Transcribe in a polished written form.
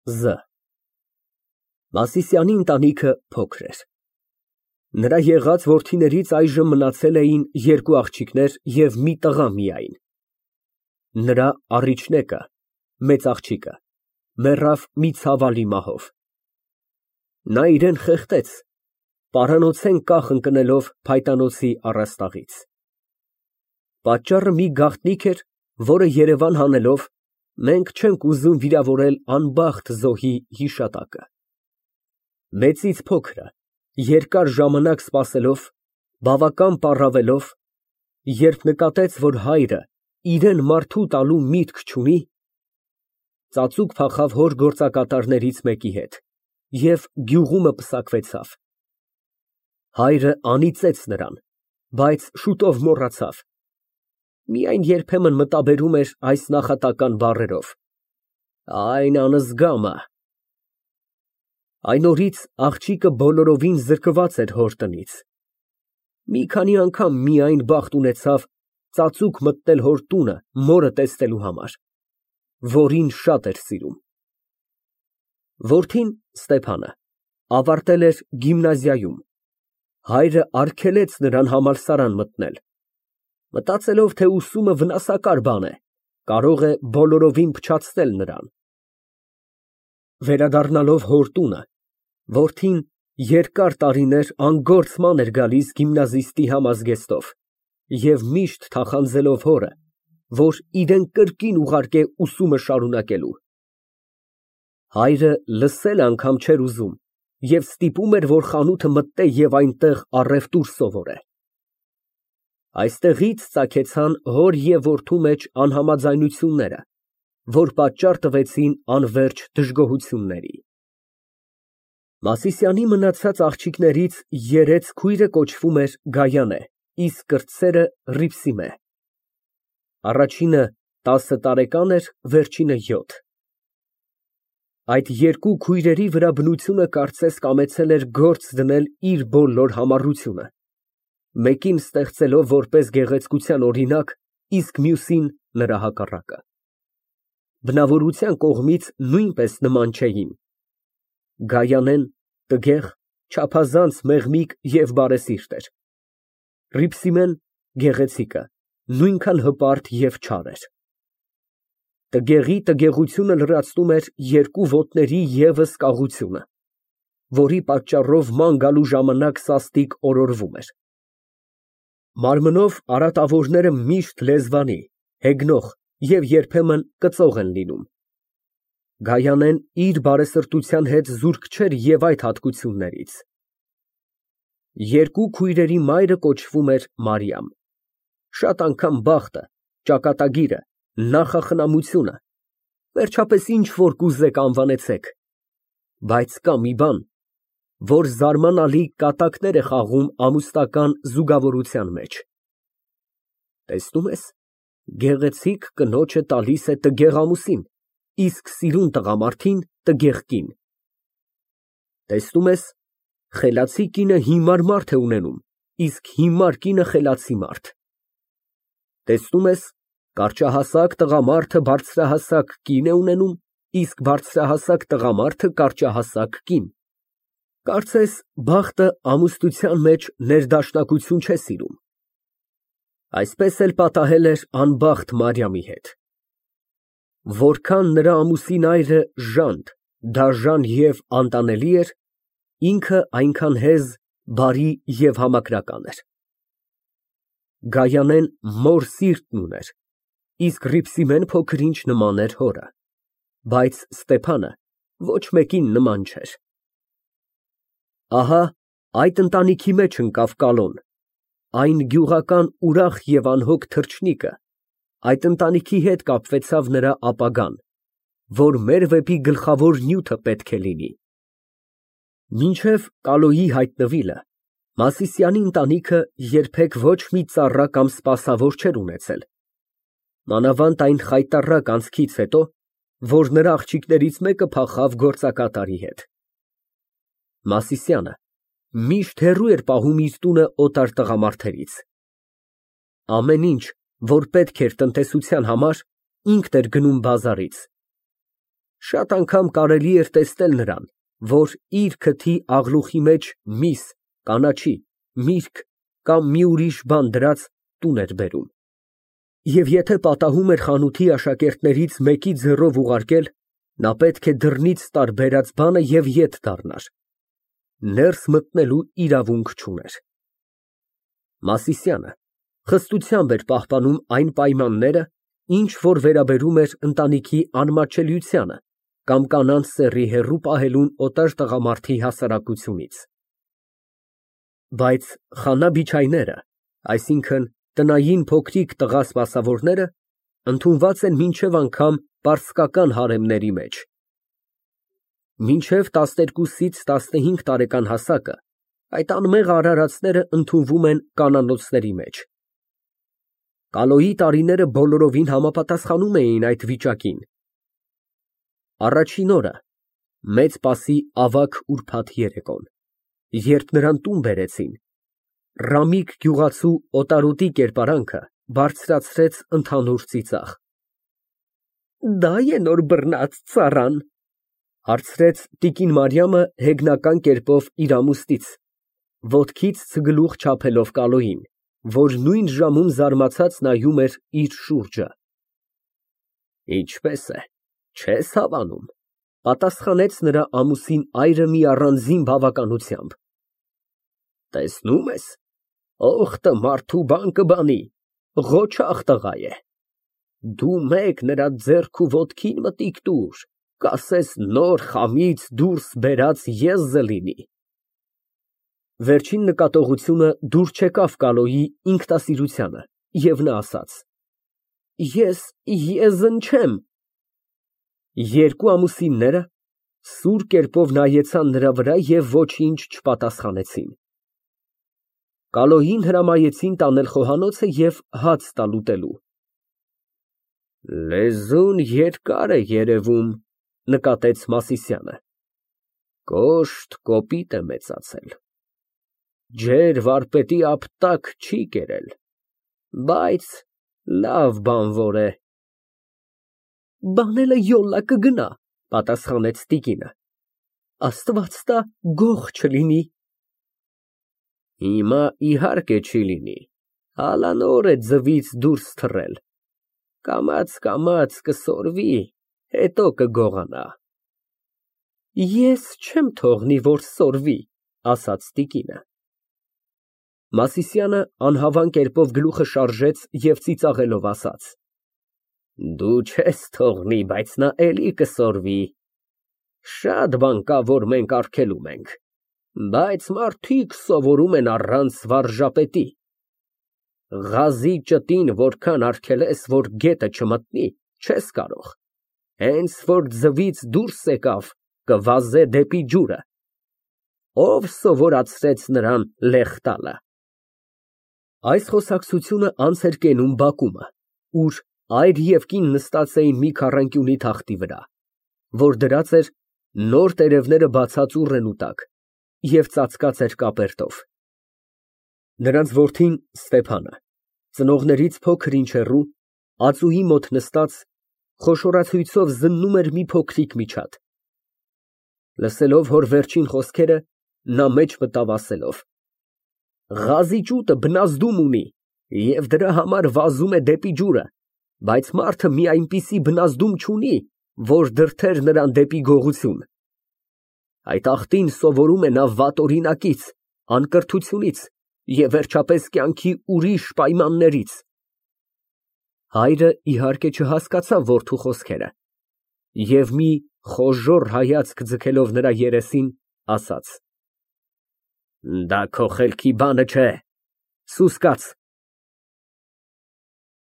Զ Մասիսյանի ընտանիքը փոքր էր։ Նրա եղած որդիներից այժմ մնացել էին երկու աղջիկներ և մի տղա միայն։ Նրա առիչնեկը մեծ աղջիկը մեռավ մի ցավալի մահով։ Նա իրան խեղդեց, պարանոցեն կախ ընկնելով փայտանոցի առաստաղից։ Պատճառը մի գաղտնիք էր, որը երևան հանելով, մենք չենք ուզում վիրավորել անբախտ զոհի հիշատակը։ Մեծից փոքրը, երկար ժամանակ սպասելով, բավական պառավելով, երբ նկատեց, որ հայրը իրան մարդու տալու միտք չունի, ծածուկ փախավ հոր գործակատարներից մեկի հետ և գյուղումը պսակվեցավ։ Հայրը անիծեց նրան, բայց շուտով մոռացավ, միայն երբեմն մտաբերում էր այս նախատական բառերով. «Այն անզգամը»։ Այն օրից աղջիկը բոլորովին զրկված էր հոր տնից։ Մի քանի անգամ միայն բախտ ունեցավ ծածուկ մտնել հոր տունը մորը տեսնելու համար, որին շատ էր սիրում։ Որդին՝ Ստեփանը, ավարտել էր գիմնազիայում, հայրը արգելեց նրան համալսարան մտնել, մտածելով, թե ուսումը վնասակար բան է, կարող է բոլորովին փչացնել նրան։ Վերադառնալով հոր տունը, որդին երկար տարիներ անգործման էր գալիս գիմնազիստի համազգեստով և միշտ թախանձելով հորը, որ իրան կրկին ուղարկե ուսումը շարունակելու։ Հայրը լսել անգամ չէր ուզում և ստիպում էր, որ խանութը մտնե և այնտեղ առևտուր սովորե։ Այստեղից ծագեցան հոր և որդու մեջ անհամաձայնությունները, որ պատճառ տվեցին անվերջ դժգոհությունների։ Մասիսյանի մնացած աղջիկներից երեց քույրը կոչվում էր Գայանե, իսկ կրտսերը Հռիփսիմե։ Առաջինը 10 տարեկան էր, վերջինը 7։ Այդ երկու քույրերի վրա բնությունը կարծես կամեցել էր գործ դնել իր բոլոր համառությունը, մեկին ստեղծելով որպես գեղեցկության օրինակ, իսկ մյուսին նրա հակառակը։ Բնավորության կողմից նույնպես նման չէին։ Գայանեն տգեղ, չափազանց մեղմիկ և բարեսիրտ էր, Հռիփսիմեն գեղեցիկը նույնքան հպարտ և չար էր։ Տգեղի տգեղությունը լրացնում էր երկու ոտների ևս կաղությունը, որի պատճառով ման գալու ժամանակ սաստիկ օրորվում էր։ Մարմնով արատավորները միշտ լեզվանի, հեգնող և երբեմն կծող են լինում։ Գայանեն իր բարեսրտության հետ զուրկ չէր և այդ հատկություններից։ Երկու քույրերի մայրը կոչվում էր Մարիամ։ Շատ անգամ բախտը, ճակատագիրը, նախախնամությունը, վերջապես ինչ որ կուզեք անվանեցեք, բայց կա մի բան, որ զարմանալի կատակներ է խաղում ամուսնական զուգավորության մեջ։ Տեսնում ես, գեղեցիկ կնոջը տալիս է տգեղ ամուսին, իսկ սիրուն տղամարդին տգեղ կին։ Տեսնում ես, խելացի կինը հիմար մարդ է ունենում, իսկ հիմար կինը խելացի մարդ։ Տեսնում ես, կարճահասակ տղամարդը բարձրահասակ կին է ունենում, իսկ բարձրահասակ տղամարդը կարճահասակ կին։ Կարծես բախտը ամուսնության մեջ ներդաշնակություն չէ սիրում։ Այսպես էլ պատահել էր անբախտ Մարիամի հետ։ Որքան նրա ամուսին այրը ժանտ, դաժան և անտանելի էր, ինքը այնքան հեզ, բարի և համակրական էր։ Գայանեն մոր սիրտն ուներ, իսկ Հռիփսիմեն փոքր-ինչ նման էր հորը, բայց Ստեփանը ոչ մեկին նման չէր։ Ահա այդ ընտանիքի մեջ ընկավ կալոն, այն գյուղական ուրախ և անհոգ թռչնիկը, այդ ընտանիքի հետ կապվեցավ նրա ապագան, որ մեր վեպի գլխավոր նյութը պետք է լինի։ Մինչև Կալոյի հայտնվելը Մասիսյանի ընտանիքը երբեք ոչ մի ծառա կամ սպասավոր չէր ունեցել, մանավանդ այն խայտառակ անցքից հետո, որ նրա աղջիկներից մեկը փախավ գործակատարի հետ։ Մասիսյանը միշտ հեռու էր պահում իր տունը օտար տղամարդերից։ Ամեն ինչ, որ պետք էր տնտեսության համար, ինքն էր գնում բազարից։ Շատ անգամ կարելի էր տեսնել նրան, որ իր քթի աղլուխի մեջ միս, կանաչի, միրգ կամ մի ուրիշ բան դրած տուն էր բերում։ Եվ եթե պատահում էր խանութի աշակերտներից մեկի ձեռով ուղարկել, նա պետք է դռնից տար բերած բանը և ետ դառնար։ Ներս մտնելու իրավունք չուներ։ Մասիսյանը խստությամբ էր պահպանում այն պայմանները, ինչ որ վերաբերում էր ընտանիքի անմատչելիությանը կամ կանանց սեռի հեռու պահելուն օտար տղամարդի հասարակությունից։ Բայց խանա֊բիչայները, այսինքն տնային փոքրիկ տղա սպասավորները, ընդունված են մինչև անգամ պարսկական հարեմների մեջ։ Մինչև 12-ից 15 տարեկան հասակը այդ անմեղ արարածները ընդունվում են կանանոցների մեջ։ Կալոյի տարիները բոլորովին համապատասխանում էին այդ վիճակին։ Առաջին օրը, մեծ պասի ավագ ուրբաթ երեկոն, երբ նրան տուն բերեցին, Ռամիկ գյուղացու օտարոտի կերպարանքը բարձրացրեց ընդհանուր ծիծաղ։ «Դա է նոր բռնած ծառան», հարցրեց տիկին Մարիամը հեգնական կերպով իր ամուսնից, ոտքից ցգլուխ չափելով Կալոյին, որ նույն ժամում զարմացած նայում էր իր շուրջը։ Ինչպես է, չես հավանում, պատասխանեց նրա ամուսին այրը մի առանձին բավականությամբ։ Տեսնում ես, օխտը մարդու բան կբանի, ղոչաղ տղա է։ Դու մեկ նրա ձեռք ու ոտքին մտիկ տուր, կասես նոր խամից դուրս բերած եզը լինի։ Վերջին նկատողությունը դուր չեկավ Կալոյի ինքնասիրությանը, և նա ասաց. Ես եզն չեմ։ Երկու ամուսինները սուր կերպով նայեցան նրա վրա և ոչինչ չպատասխանեցին։ Կալոյին հրամայեցին տանել խոհանոցը և հաց տալ ուտելու։ Լեզուն երկար է երևում, նկատեց Մասիսյանը։ Կոշտ կոպիտ է մեծացել։ Ջեր վարպետի ապտակ չի կերել, բայց լավ բանվոր է։ Բանելը յոլլա կգնա, պատասխանեց տիկինը։ Աստված տա գող չլինի։ Հիմա իհարկե չի լինի, հալանոր է ձվից դուրս թռել, կամաց կսորվի, հետո կգողանա։ Ես չեմ թողնի, որ սորվի, ասաց տիկինը։ Մասիսյանը անհավան կերպով գլուխը շարժեց և ծիծաղելով ասաց. Դու չես թողնի, բայց նա էլի կսորվի։ Շատ բան կա, որ մենք արգելում ենք, բայց մարդիկ սովորում են առանց վարժապետի։ Ղազի ճտին որքան արգելես, որ գետը չմտնի, չես կարող, հենց որ ձվից դուրս եկավ, կվազե դեպի ջուրը։ Ով սովորացրեց նրան լեխ տալը։ Այս խոսակցությունը անց էր կենում բակումը, ուր այր և կին նստած էին մի քառանկյունի թախտի վրա, որ դրած էր նոր տերևները բացած ուռենու տակ և ծածկած էր կապերտով։ Նրանց որդին Ստեփանը, ծնողներից փոքր ինչ հեռու, ածուի մոտ նստած, խոշորացույցով զննում էր մի փոքրիկ միջատ։ Լսելով հոր վերջին խոսքերը, նա մեջ մտավ ասելով. Ղազի ճուտը բնազդում ունի և դրա համար վազում է դեպի ջուրը, բայց մարդը մի այնպիսի բնազդում չունի, որ դրդեր նրան դեպի գողություն։ Այդ աղտին սովորում է նա վատ օրինակից, անկրթությունից և վերջապես կյանքի ուրիշ պայմաններից։ Հայրը իհարկե չհասկացավ որդու խոսքերը և մի խոժոռ հայացք ձգելով նրա երեսին, ասաց. Դա քո խելքի բանը չէ, սուս կաց,